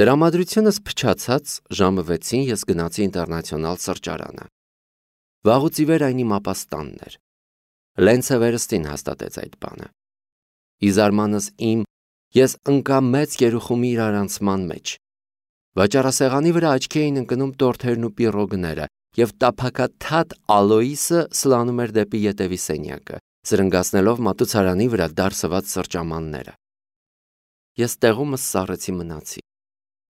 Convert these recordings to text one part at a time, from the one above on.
Տրամադրությունս փչացած ժամը 6-ին ես գնացի ինտերնացիոնալ սրճարանը։ Վաղուց ի վեր այն իմ ապաստանն էր։ Լենցը վերստին հաստատեց այդ բանը։ Ի զարմանս իմ ես ընկա մեծ երուխումի իրարանցման մեջ։ Վաճառասեղանի վրա աչքի էին ընկնում տորթերն ու պիրոգները, և տափակաթաթ Ալոիսը սլանում էր դեպի ետևի սենյակը, զրնգացնելով մատուցարանի վրա դարսված սրճամանները։ Ես տեղումս սառեցի մնացի։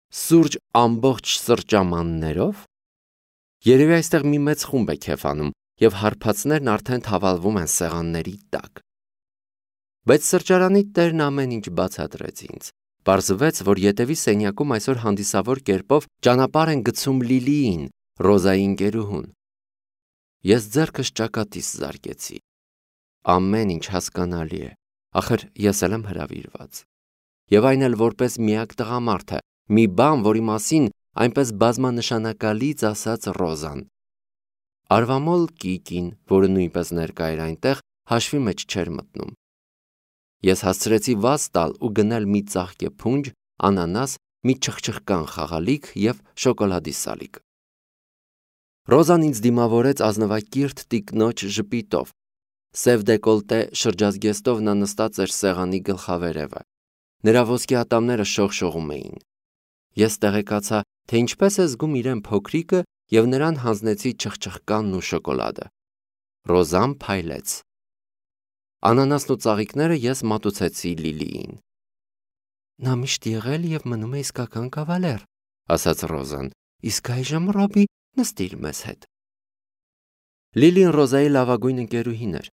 Սուրճ ամբողջ սրճամաններով։ Երևի այստեղ մի մեծ խումբ է քեֆանում, և հարբածներն արդեն թավալվում են սեղանների տակ։ Բայց սրճարանի տերն ամեն ինչ բացատրեց ինձ։ Պարզվեց, որ ետևի սենյակում այսօր հանդիսավոր կերպով ճանապարհ են գցում Լիլիին, Ռոզայի ընկերուհուն։ Ես ձեռքս ճակատիս զարկեցի։ Ամեն ինչ հասկանալի է, ախր ես էլ եմ հրավիրված։ Եվ այն էլ որպես միակ տղամարդը, մի բան, որի մասին այնպես բազմանշանակալից ասաց Ռոզան։ Արվամոլ Կիկին, որը նույնպես ներկա էր այնտեղ, հաշվի մեջ չէր մտնում։ Ես հասցրեցի վազ տալ ու գնել մի ծաղկե փունջ, անանաս, մի չխչխկան խաղալիք և շոկոլադի սալիկ։ Ռոզան ինձ դիմավորեց ազնվակիրթ տիկնոջ ժպիտով։ Սև դեկոլտե շրջազգեստով նա նստած էր սեղանի գլխավերևը։ Նրա ոսկե ատամները շողշողում էին։ Ես տեղեկացա, թե ինչպես է զգում իրեն փոքրիկը, և նրան հանձնեցի չխչխկանն ու շոկոլադը։ Ռոզան փայլեց։ Անանասն ու ծաղիկները ես մատուցեցի Լիլիին։ Նա միշտ եղել և մնում է իսկական կավալեր, ասաց Ռոզան, իսկ այժմ Ռոբի նստիր մեզ հետ։ Լիլին Ռոզայի լավագույն ընկերուհին էր։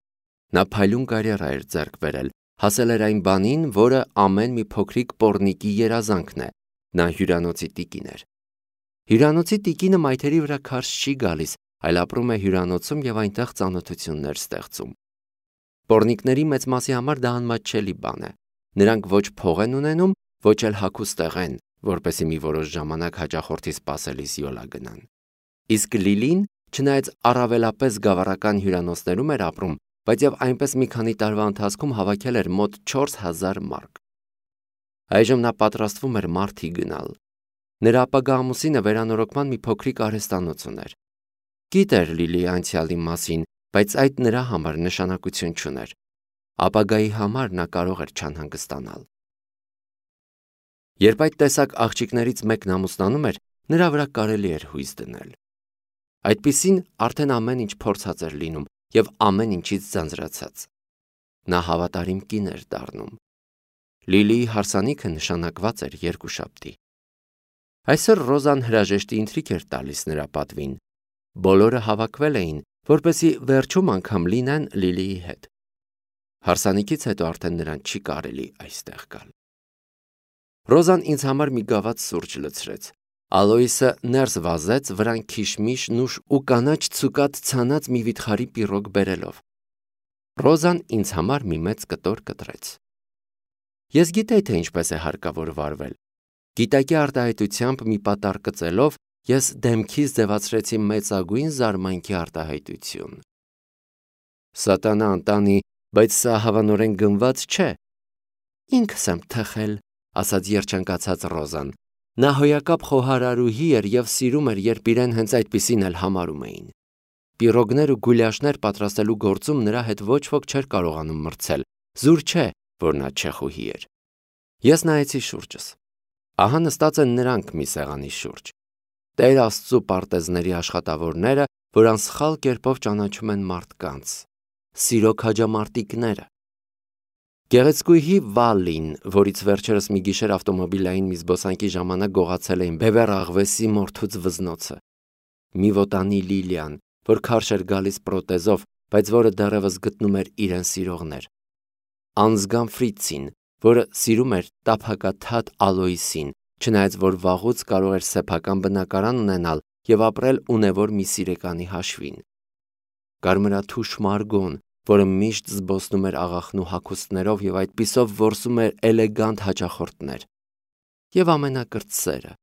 Նա փայլուն կարիերա էր ձեռք բերել, հասել էր այն բանին, որը ամեն մի փոքրիկ պոռնիկի երազանքն է։ Նա հյուրանոցի տիկին էր։ Հյուրանոցի տիկինը մայթերի վրա քարշ չի գալիս, այլ ապրում է հյուրանոցում և այնտեղ ծանոթություններ ստեղծում։ Պոռնիկների մեծ մասի համար դա անմատչելի բան է։ Նրանք ոչ փող են ունենում, ոչ էլ հագուստ տեղեն, որպեսզի մի որոշ ժամանակ հաճախորդի սպասելիս յոլա գնան։ Իսկ Լիլին, չնայած առավելապես գավառական հյուրանոցներում էր ապրում, բայց և այնպես մի քանի տարվա ընթացքում հավաքել էր մոտ 4000 մարկ։ Այժմ նա պատրաստվում էր Մարթի գնալ։ Նրա ապագա ամուսինը վերանորոգման մի փոքրիկ արհեստանոց ուներ։ Գիտեր Լիլիի անցյալի մասին, բայց այդ նրա համար նշանակություն չուներ։ Ապագայի համար նա կարող էր չանհանգստանալ։ Երբ այդ տեսակ աղջիկներից մեկն ամուսնանում էր, նրա վրա կարելի էր հույս դնել։ Այդպիսին արդեն ամեն ինչ փորձած էր լինում և ամեն ինչից ձանձրացած։ Նա հավատարիմ կին էր դառնում։ Լիլիի հարսանիքը նշանակված էր երկուշաբթի։ Այսօր Ռոզան հրաժեշտի ընթրիք էր տալիս նրա պատվին։ Բոլորը հավաքվել էին, որպեսզի վերջում անգամ լինեն Լիլիի հետ։ Հարսանիքից հետո արդեն նրան չի կարելի այստեղ գալ։ Ռոզան ինձ համար մի գավաթ սուրճ լցրեց։ Ալոիսը ներս վազեց վրան քիշմիշ, նուշ ու կանաչ ցուկատ ցանած մի վիթխարի պիրոգ բերելով։ Ռոզան ինձ համար մի մեծ կտոր կտրեց։ Ես գիտեի, թե ինչպես է հարկավոր վարվել։ Գիտակի արտահայտությամբ մի պատառ կծելով ես դեմքիս ձևացրեցի մեծագույն զարմանքի արտահայտություն։ Սատանա ընտանի, բայց սա հավանորեն գնված չէ։ Ինքս եմ թխել, ասաց երջանկացած Ռոզան։ Նա հոյակապ խոհարարուհի էր և սիրում էր, երբ իրեն հենց այդպիսին էլ համարում էին։ Պիրոգներ ու գուլյաշներ պատրաստելու գործում նրա հետ ոչ ոք չէր կարողանում մրցել։ Զուր չէ, որ նա չեխուհի էր։ Ես նայեցի շուրջս։ Ահա նստած են նրանք մի սեղանի շուրջ։ Տեր Աստծու պարտեզների աշխատավորները, որ անսխալ կերպով ճանաչում են մարդկանց։ Սիրո քաջամարտիկները։ Գեղեցկուհի Վալին, որից վերջերս մի գիշեր ավտոմոբիլային մի զբոսանքի ժամանակ գողացել էին Բևեռ աղվեսի մորթուց վզնոցը։ Մի վոտանի Լիլիան, որ քարշ էր գալիս պրոթեզով, բայց որը դեռևս գտնում էր իրեն սիրողներ։ Անզգան Ֆրիցին, որը սիրում էր տափակաթաթ Ալոիսին, չնայած որ վաղուց կարող էր սեփական բնակարան ունենալ և ապրել ունևոր մի սիրեկանի հաշվին։ Կարմրաթուշ Մարգոն, որը միշտ զբոսնում էր աղախնու հագուստներով և այդպիսով որսում էր էլեգանտ հաճախորդներ։ Եվ ամենակրտսերը,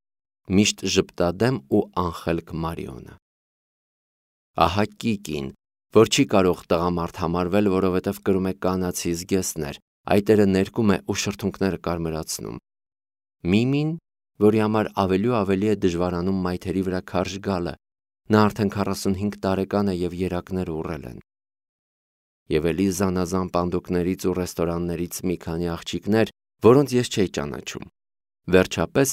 միշտ ժպտադեմ ու անխելք Մարիոնը։ Ահա Կիկին, որ չի կարող տղամարդ համարվել, որովհետև կրում է կանացի զգեստներ, այտերը ներկում է ու շրթունքները կարմրացնում։ Միմին, որի համար ավելի ու ավելի է դժվարանում մայթերի վրա քարշ գալը։ Նա արդեն 45 տարեկան է եւ երակները ուռել են։ Եվ էլի զանազան պանդոկներից ու ռեստորաններից մի քանի աղջիկներ, որոնց ես չէի ճանաչում։ Վերջապես,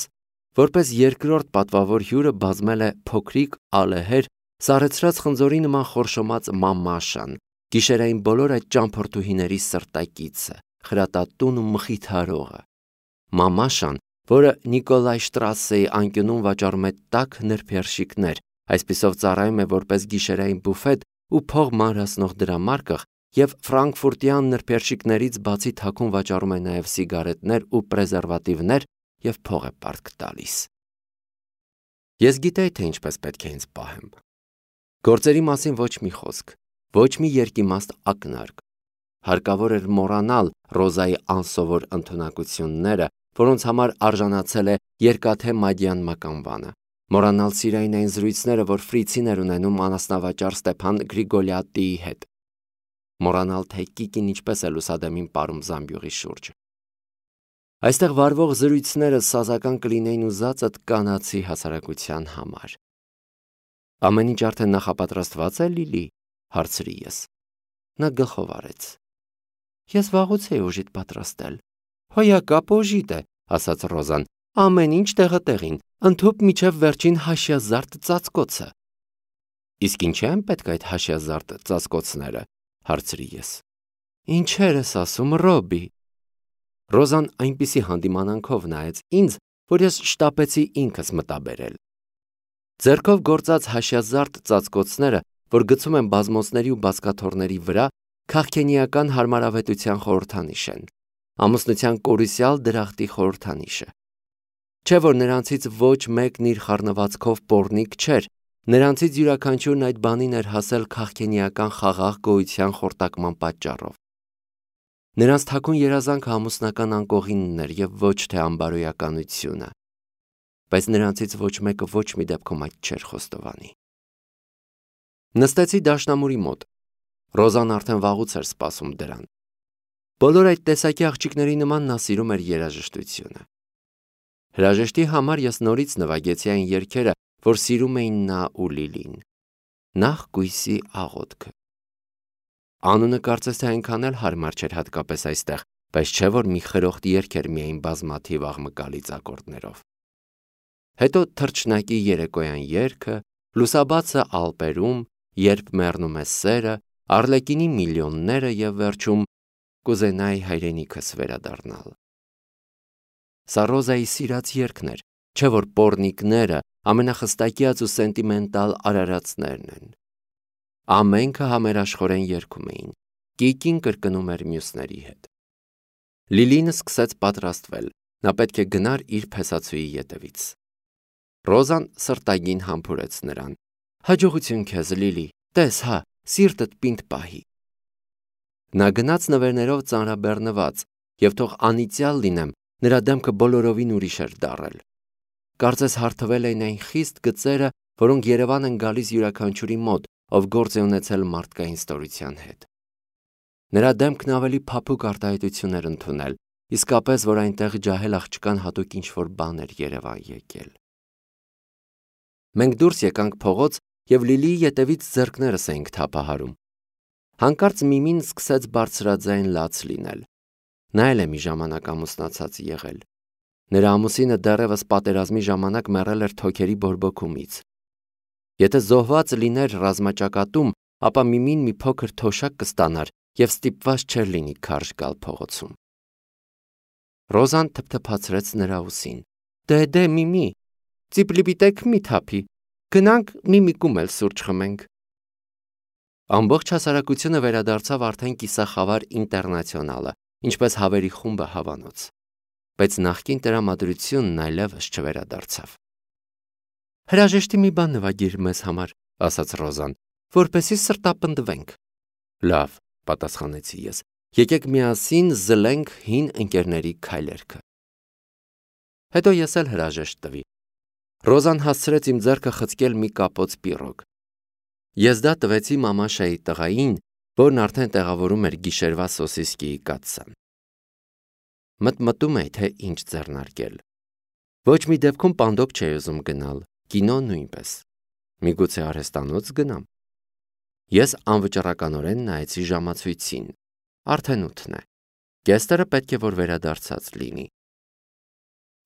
որպես երկրորդ պատվավոր հյուրը բազմել է փոքրիկ, ալեհեր, սառեցրած խնձորի նման խորշոմած մամաշան, գիշերային բոլոր այդ ճամփորդուհիների սրտակիցը, խրատատուն ու մխիթարողը։ Մամաշան, որը Նիկոլայ Շտրասեի անկյունում վաճառում է տաք նրբերշիկներ, այսպիսով ծառայում է որպես գիշերային բուֆետ ու փող մանրացնող դրամարկղ եւ ֆրանկֆուրտյան նրբերշիկներից բացի թաքուն վաճառում է նաեւ սիգարետներ ու պրեզերվատիվներ եւ փող է պարտք տալիս։ Ես գիտեի, թե ինչպես պետք է ինձ պահեմ։ Գործերի մասին ոչ մի խոսք, ոչ մի երկիմաստ ակնարկ։ Հարկավոր էր մոռանալ Ռոզայի անսովոր ընդունակությունները, որոնց համար արժանացել է երկաթե մադյան մականվանը, մոռանալ սիրային այն զրույցները, որ Ֆրիցին էր ունենում անասնավաճառ Ստեփան Գրիգոլյատիի հետ, մոռանալ, թե Կիկին ինչպես է լուսադեմին պարում զամբյուղի շուրջը։ Այստեղ վարվող զրույցները սազական կլինեին ուզածդ կանացի հասարակության համար։ Ամեն ինչ արդեն նախապատրաստված է, Լիլի, հարցրի ես։ Նա գլխով արեց։ Ես վաղուց էի օժիտ պատրաստել։ Հոյակապ օժիտ է, ասաց Ռոզան, ամեն ինչ տեղը տեղին, ընդհուպ միջև վերջին հաշյազարդ ծածկոցը։ Իսկ ինչ են պետք այդ հաշյազարդ ծածկոցները, հարցրի ես։ Ինչեր ես ասում, Ռոբի։ Ռոզան այնպիսի հանդիմանանքով նայեց ինձ, որ ես շտապեցի ինքս մտաբերել։ Ձեռքով գործած հաշյազարդ ծածկոցները, որ գցում են բազմոցների ու բազկաթոռների վրա, քաղքենիական հարմարավետության խորհրդանիշ են, ամուսնության կորուսյալ դրախտի խորհրդանիշը։ Չէ որ նրանցից ոչ մեկն իր խառնվածքով պոռնիկ չէր, նրանցից յուրաքանչյուրն այդ բանին էր հասել քաղքենիական խաղաղ գոյության խորտակման պատճառով։ Նրանց թաքուն երազանքը ամուսնական անկողինն էր եւ ոչ թե անբարոյականությունը, բայց նրանցից ոչ մեկը ոչ մի դեպքում այդ չէր խոստովանի։ Նստեցի դաշնամուրի մոտ։ Ռոզան արդեն վաղուց էր սպասում դրան։ Բոլոր այդ տեսակի աղջիկների նման նա սիրում էր երաժշտությունը։ Հրաժեշտի համար ես նորից նվագեցի այն երգերը, որ սիրում էին նա ու Լիլին։ Նախ կույսի աղոթքը։ Անունը կարծես թե այնքան էլ հարմար չէր հատկապես այստեղ, բայց չէ որ մի խրոխտ երգ էր միայն բազմաթիվ աղմկալից ակորդներով։ Հետո թռչնակի երեկոյան երգը, լուսաբացը Ալպերում, երբ մեռնում է սերը, Արլեկինի միլիոնները եւ վերջում կուզենայի հայրենիքս վերադառնալ։ Սա Ռոզայի սիրած երգն էր, չէ որ պոռնիկները ամենախստակյաց ու սենտիմենտալ արարածներն են։ Ամենքը համերաշխորեն երգում էին, Կիկին կրկնում էր մյուսների հետ։ Լիլին սկսեց պատրաստվել, նա պետք է գնար իր փեսացուի ետևից։ Ռոզան սրտագին համբուրեց նրան։ Հաջողություն քեզ, Լիլի, տես հա, սիրտդ պինդ պահի։ Նա գնաց նվերներով ծանրաբեռնված, եւ թող անիծյալ լինեմ, նրա դեմքը բոլորովին ուրիշ էր դառել։ Կարծես հարթվել էին այն խիստ գծերը, որոնք Երևան են գալիս յուրաքանչյուրի մոտ, ով գործ է ունեցել մարդկային ստորության հետ։ Նրա դեմքն ավելի փափուկ արտահայտություն էր ընդունել, իսկապես որ այնտեղ ջահել աղջկան հատուկ ինչ-որ բան էր Երևան եկել։ Մենք դուրս եկանք փողոց եւ Լիլիի ետևից ձեռքներս էինք թափահարում։ Հանկարծ Միմին սկսեց բարձրաձայն լաց լինել։ Նա էլ է մի ժամանակ ամուսնացած եղել։ Նրա ամուսինը դեռևս պատերազմի ժամանակ մեռել էր թոքերի բորբոքումից։ Եթե զոհված լիներ ռազմաճակատում, ապա Միմին մի փոքր թոշակ կստանար եւ ստիպված չէր լինի քարշ գալ փողոցում։ Ռոզան թփթփացրեց նրա ուսին։ Դե Միմի, ծիպլիպիտեք մի թափի, գնանք Միմիկում էլ սուրճ խմենք։ Ամբողջ հասարակությունը վերադարձավ արդեն կիսախավար ինտերնացիոնալը, ինչպես հավերի խումբը հավանոց, բայց նախկին տրամադրությունն այլևս չվերադարձավ։ Հրաժեշտի մի բան նվագիր մեզ համար, ասաց Ռոզան, որպեսզի սրտապնդվենք։ Լավ, պատասխանեցի ես, եկեք միասին զլենք հին ընկերների քայլերքը։ Հետո ես էլ հրաժեշտ տվի։ Ռոզան հասցրեց իմ ձեռքը խցկել մի կապոց պիրոգ։ Ես դա տվեցի մամաշայի տղային, որն արդեն տեղավորում էր գիշերվա սոսիսկիի կաթսան։ Մտմտում էի, թե ինչ ձեռնարկել։ Ոչ մի դեպքում պանդոկ չէի ուզում գնալ, կինո նույնպես։ Միգուցե արհեստանոց գնամ։ Ես անվճռականորեն նայեցի ժամացույցին։ Արդեն 8 է։ Գեստերը պետք է որ վերադարձած լինի։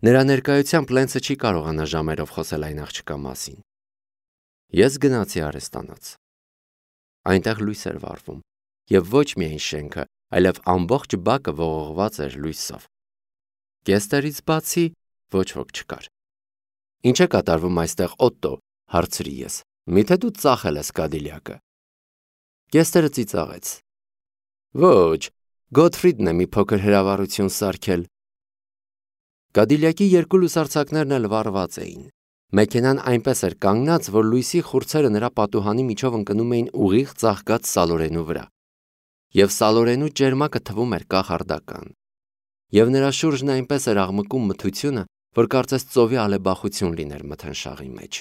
Նրա ներկայությամբ Լենսը չի կարողանա ժամերով խոսել այն աղջկա մասին։ Ես գնացի արհեստանոց։ Այնտեղ լույս էր վառվում, եւ ոչ միայն շենքը, այլև ամբողջ բակը ողողված էր լույսով։ Գեստերից բացի ոչ ոք չկար։ Ինչ է կատարվում այստեղ, Օտտո, հարցրի ես։ Միթե դու ծախել ես Կադիլյակը։ Գեստերը ծիծաղեց։ Ոչ, Գոթֆրիդն է մի փոքր հրավառություն սարքել։ Կադիլյակի երկու լուսարձակներն էլ վառված էին։ Մեքենան այնպես էր կանգնած, որ լույսի խուրձերը նրա պատուհանի միջով ընկնում էին ուղիղ ծաղկած սալորենու վրա։ Եվ սալորենու ճերմակը թվում էր կախարդական։ Եվ նրա շուրջն այնպես էր աղմկում մթությունը, որ կարծես ծովի ալեբախություն լիներ մթնշաղի մեջ։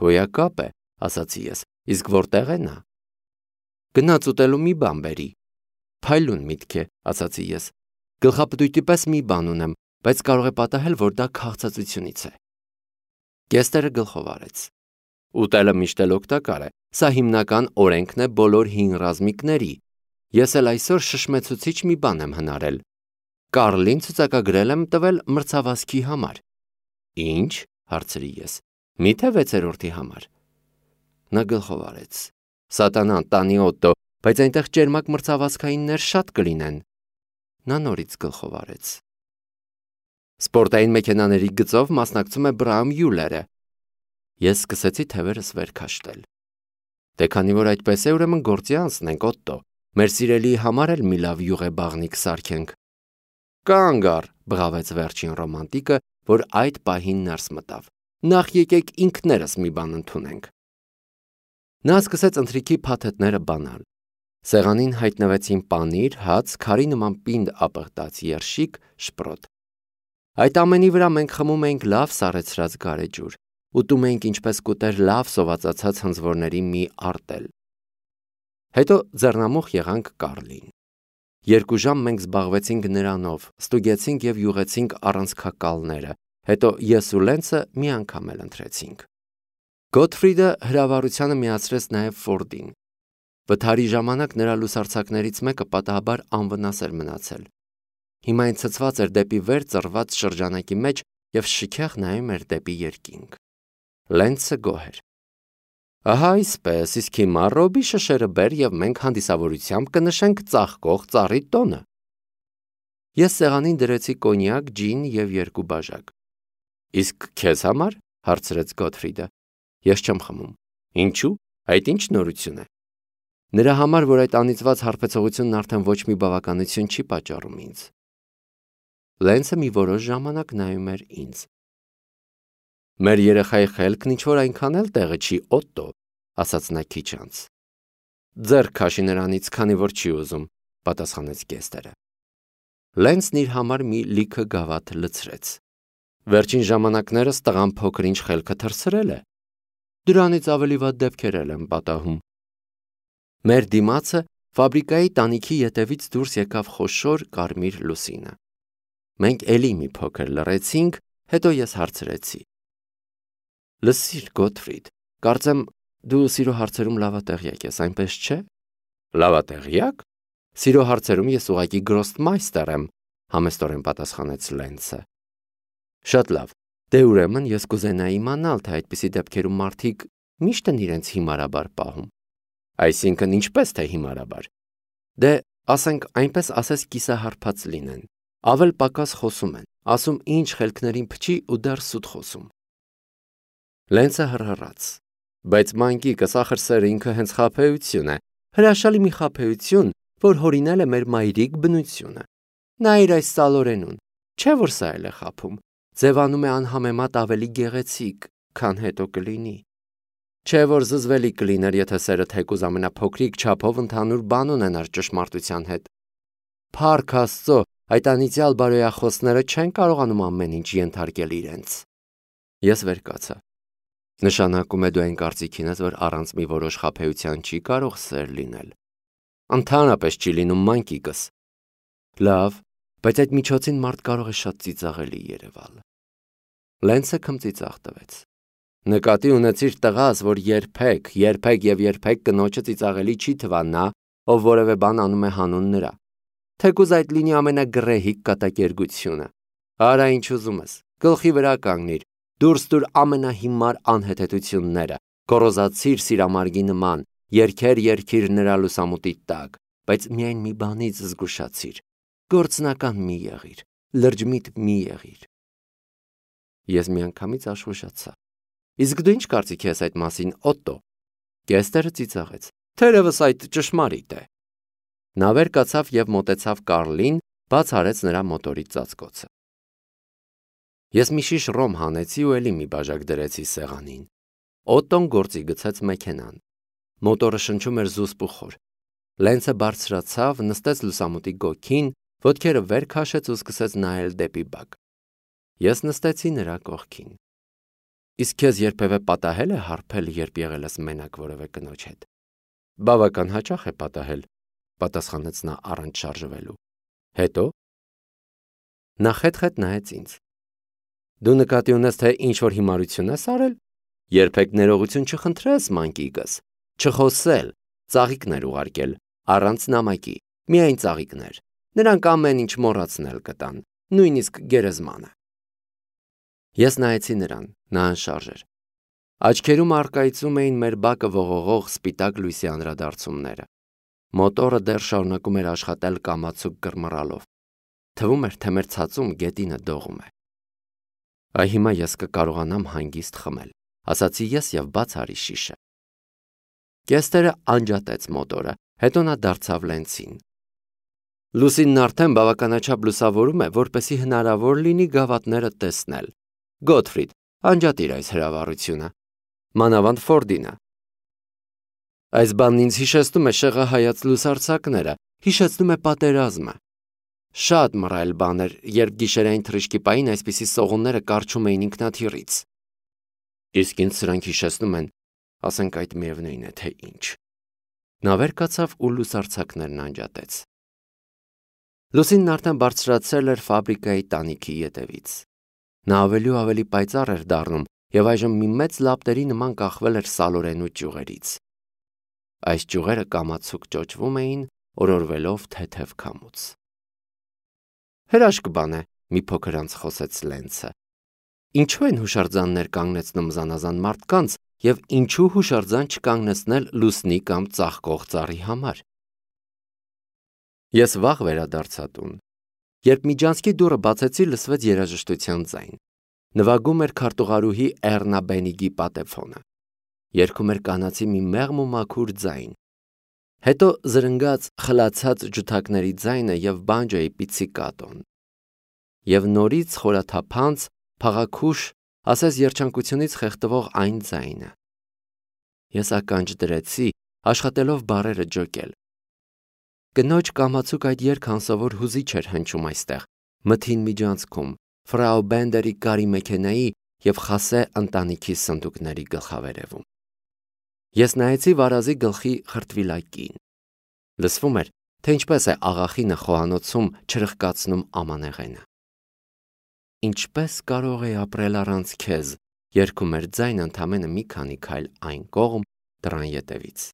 Հոյակապ է, ասացի ես, իսկ որտեղ է նա։ Գնաց ուտելու մի բան բերի։ Փայլուն միտք է, ասացի ես։ Գլխապտույտի պես մի բան ունեմ, բայց կարող է պատահել, որ դա քաղցածությունից է։ Գեստերը գլխով արեց։ Ուտելը միշտ էլ օգտակար է, սա հիմնական օրենքն է բոլոր հին ռազմիկների։ Ես էլ այսօր շշմեցուցիչ մի բան եմ հնարել։ Կարլին ցուցակագրել եմ տվել մրցավազքի համար։ Ինչ, հարցրի ես։ Միթե 6-րդի համար։ Նա գլխով արեց։ Սատանան տանի Օտտո, բայց այնտեղ ճերմակ մրցավազքայիններ շատ կլինեն։ Նա նորից գլխով արեց։ Սպորտային մեքենաների գծով մասնակցում է Բրաում Յուլերը։ Ես սկսեցի թևերս վեր քաշտել։ Դե քանի որ այդպես է, ուրեմն գործի անցնենք, Օտտո։ Մեր սիրելիի համար էլ մի լավ յուղեբաղնիկ սարքենք։ Կանգ առ, բղավեց վերջին ռոմանտիկը, որ այդ պահին ներս մտավ։ Նախ եկեք ինքներս մի բան ընդունենք։ Նա սկսեց ընթրիքի փաթեթները բանալ։ Սեղանին հայտնվեցին պանիր, հաց, քարի նման պինդ ապխտած երշիկ, շպրոտ։ Այդ ամենի վրա մենք խմում էինք լավ սառեցրած գարեջուր, ուտում էինք ինչպես կուտեր լավ սովածացած հնձվորների մի արտել։ Հետո ձեռնամուխ եղանք Կարլին։ 2 ժամ մենք զբաղվեցինք նրանով, ստուգեցինք եւ յուղեցինք առանցքակալները, հետո ես ու Լենսը մի անգամ էլ ընթրեցինք։ Գոթֆրիդը հրավառությանը միացրեց նաեւ Ֆորդին։ Վթարի ժամանակ նրա լուսարձակներից մեկը պատահաբար անվնաս էր մնացել։ Հիմա այն ցցված էր դեպի վեր ծռված շրջանակի մեջ եւ շքեղ նայում էր դեպի երկինք։ Լենսը գոհ էր։ Ահա այսպես, իսկ հիմա Ռոբի շշերը բեր եւ մենք հանդիսավորությամբ կնշենք ծաղկող ծառի տոնը։ Ես սեղանին դրեցի կոնյակ, ջին եւ 2 բաժակ։ Իսկ քեզ համար, հարցրեց Գոթֆրիդը։ Ես չեմ խմում։ Ինչու՞։ Այդ ինչ նորություն է։ Նրա համար, որ այդ անիծված հարբեցողությունն արդեն ոչ մի բավականություն չի պատճառում ինձ։ Լենսը մի որոշ ժամանակ նայում էր ինձ։ Մեր երեխայի խելքն ինչ-որ այնքան էլ տեղը չի, Օտտո, ասաց նա քիչ անց։ Ձեռք քաշի նրանից, քանի որ չի ուզում, պատասխանեց Գեստերը։ Լենսն իր համար մի լիքը գավաթ լցրեց։ Վերջին ժամանակներս տղան փոքր-ինչ խելքը թռցրել է։ Դրանից ավելի վատ դեպքեր եմ պատահում։ Մեր դիմացը ֆաբրիկայի տանիքի ետևից դուրս եկավ խոշոր կարմիր լուսինը։ Մենք էլի մի փոքր լռեցինք, հետո ես հարցրեցի. Լսիր, Գոթֆրիդ, կարծեմ դու սիրո հարցերում լավատեղյակ ես, այնպես չէ։ Լավատեղյակ։ Սիրո հարցերում ես ուղղակի գրոստմայստեր եմ, համեստորեն պատասխանեց Լենսը։ Շատ լավ։ Դե ուրեմն ես կուզենայի իմանալ, թե այդպիսի դեպքերում մարդիկ միշտ են իրենց հիմարաբար պահում։ Այսինքն ինչպես թե հիմարաբար։ Դե ասենք այնպես ասես կիսահարփած լինեն։ Ավել պակաս խոսում են, ասում ինչ խելքներին փչի ու դեռ սուտ խոսում։ Լենսը հռհռաց։ Բայց մանկիկս ախր սերը ինքը հենց խաբեություն է, հրաշալի մի խաբեություն, որ հորինել է մեր մայրիկ բնությունը։ Նայր այս սալորենուն, չէ որ սա էլ է խաբում, ձևանում է անհամեմատ ավելի գեղեցիկ, քան հետո կլինի։ Չէ որ զզվելի կլիներ, եթե սերը թեկուզ ամենափոքրիկ չափով ընդհանուր բան ունենար ճշմարտության հետ։ Փառք Աստծո, այդ անիծյալ բարոյախոսները չեն կարողանում ամեն ինչ ենթարկել իրենց։ Ես վեր կացա։ Նշանակում է դու այն կարծիքին ես, որ առանց մի որոշ խաբեության չի կարող սեր լինել։ Ընդհանրապես չի լինում, մանկիկս։ Լավ, բայց այդ միջոցին մարդ կարող է շատ ծիծաղելի երևալ։ Լենցը քմծիծաղ տվեց։ Նկատի ունեցիր տղաս, որ երբեք կնոջը ծիծաղելի չի թվա նա, ով որևէ բան անում է հանուն նրա։ Թեկուզ այդ լինի ամենագրեհիկ կատակերգությունը։ Արա ինչ ուզում ես, գլխի վրա կանգնիր, դուրս տուր ամենահիմար անհեթեթությունները, գոռոզացիր սիրամարգի նման, երգիր նրա լուսամուտի տակ, բայց միայն մի բանից զգուշացիր, գործնական մի եղիր, լրջմիտ մի եղիր։ Ես միանգամից աշխուժացա։ Իսկ դու ինչ կարծիք ես այդ մասին, Օտտո։ Գեստերը ծիծաղեց։ Թերևս այդ ճշմարիտ է։ Նա վեր կացավ եւ մոտեցավ Կարլին, բաց արեց նրա մոտորի ծածկոցը։ Ես մի շիշ ռոմ հանեցի ու էլի մի բաժակ դրեցի սեղանին։ Օտտոն գործի գցեց մեքենան։ Մոտորը շնչում էր զուսպուխոր։ Լենցը բարձրացավ, նստեց լուսամուտի գոգին, ոտքերը վեր քաշեց ու սկսեց նայել դեպի բակ։ Ես նստեցի նրա կողքին։ Իսկ քեզ երբևէ պատահել է հարբել, երբ եղել ես մենակ որևէ կնոջ հետ։ Բավական հաճախ է պատահել, պատասխանեց նա առանց շարժվելու։ Հետո նա խետ-խետ նայեց ինձ։ Դու նկատի ունես, թե ինչ որ հիմարություն ես արել։ Երբեք ներողություն չխնդրես, մանկիկս, չխոսել, ծաղիկներ ուղարկել, առանց նամակի, միայն ծաղիկներ։ Նրանք ամեն ինչ մոռացնել կտան, նույնիսկ գերեզմանը։ Ես նայեցի նրան, նա անշարժ էր։ Աչքերում առկայծում էին մեր բակը ողողող սպիտակ լույսի անդրադարձումները։ Մոտորը դեռ շարունակում էր աշխատել կամացուկ կռմռալով։ Թվում էր, թե մեր ցածում գետինը դողում է։ Այ հիմա ես կկարողանամ հանգիստ խմել, ասացի ես եւ բաց արի շիշը։ Գեստերը անջատեց մոտորը, հետո նա դարձավ Լենցին։ Լուսինն արդեն բավականաչափ լուսավորում է, որպեսզի հնարավոր լինի գավաթները տեսնել։ Գոթֆրիդ, անջատիր այս հրավառությունը։ Մանավանդ Ֆորդինը։ Այս բանն ինձ հիշեցնում է շեղահայաց լուսարձակները, հիշեցնում է պատերազմը։ Շատ մռայլ բան էր, երբ գիշերային թռիչքի պահին այսպիսի սողունները կառչում էին ինքնաթիռից։ Իսկ ինձ սրանք հիշեցնում են, ասենք այդ միևնույն է, թե ինչ։ Նա վեր կացավ ու լուսարձակներն անջատեց։ Լուսինն արդեն բարձրացել էր ֆաբրիկայի տանիքի ետևից։ Նա ավելի ու ավելի պայծառ էր դառնում եւ այժմ մի մեծ լապտերի նման կախվել էր սալորենու ճյուղերից։ Այս ճյուղերը կամացուկ ճոճվում էին, օրորվելով թեթև քամուց։ Հրաշք բան է, մի փոքր անց խոսեց Լենցը։ Ինչու են հուշարձաններ կանգնեցնում զանազան մարդկանց եւ ինչու հուշարձան չկանգնեցնել լուսնի կամ ծաղկող ծառի համար։ Ես վաղ վերադարձա տուն։ Երբ միջանցքի դուռը բացեցի, լսվեց երաժշտության ձայն։ Նվագում էր քարտուղարուհի Էռնա Բենիգի պատեֆոնը։ Երգում էր կանացի մի մեղմ ու մաքուր ձայն։ Հետո զրնգաց խլացած ջութակների ձայնը եւ բանջոյի պիցիկատոն։ Եվ նորից խորաթափանց, փաղաքուշ, ասես երջանկությունից խեղդվող այն ձայնը։ Ես ականջ դրեցի, աշխատելով բառերը ջոկել։ Կնոջ կամացուկ այդ երգ անսովոր հուզիչ էր հնչում այստեղ, մթին միջանցքում, ֆրաու Բենդերի կարի մեքենայի եւ Խասե ընտանիքի սնդուկների գլխավերևում։ Ես նայեցի վարազի գլխի խրտվիլակին։ Լսվում էր, թե ինչպես է աղախինը խոհանոցում չրխկացնում ամանեղենը։ Ինչպես կարող է ապրել առանց քեզ, երգում էր ձայնը ընդամենը մի քանի քայլ այն կողմ դռան ետևից։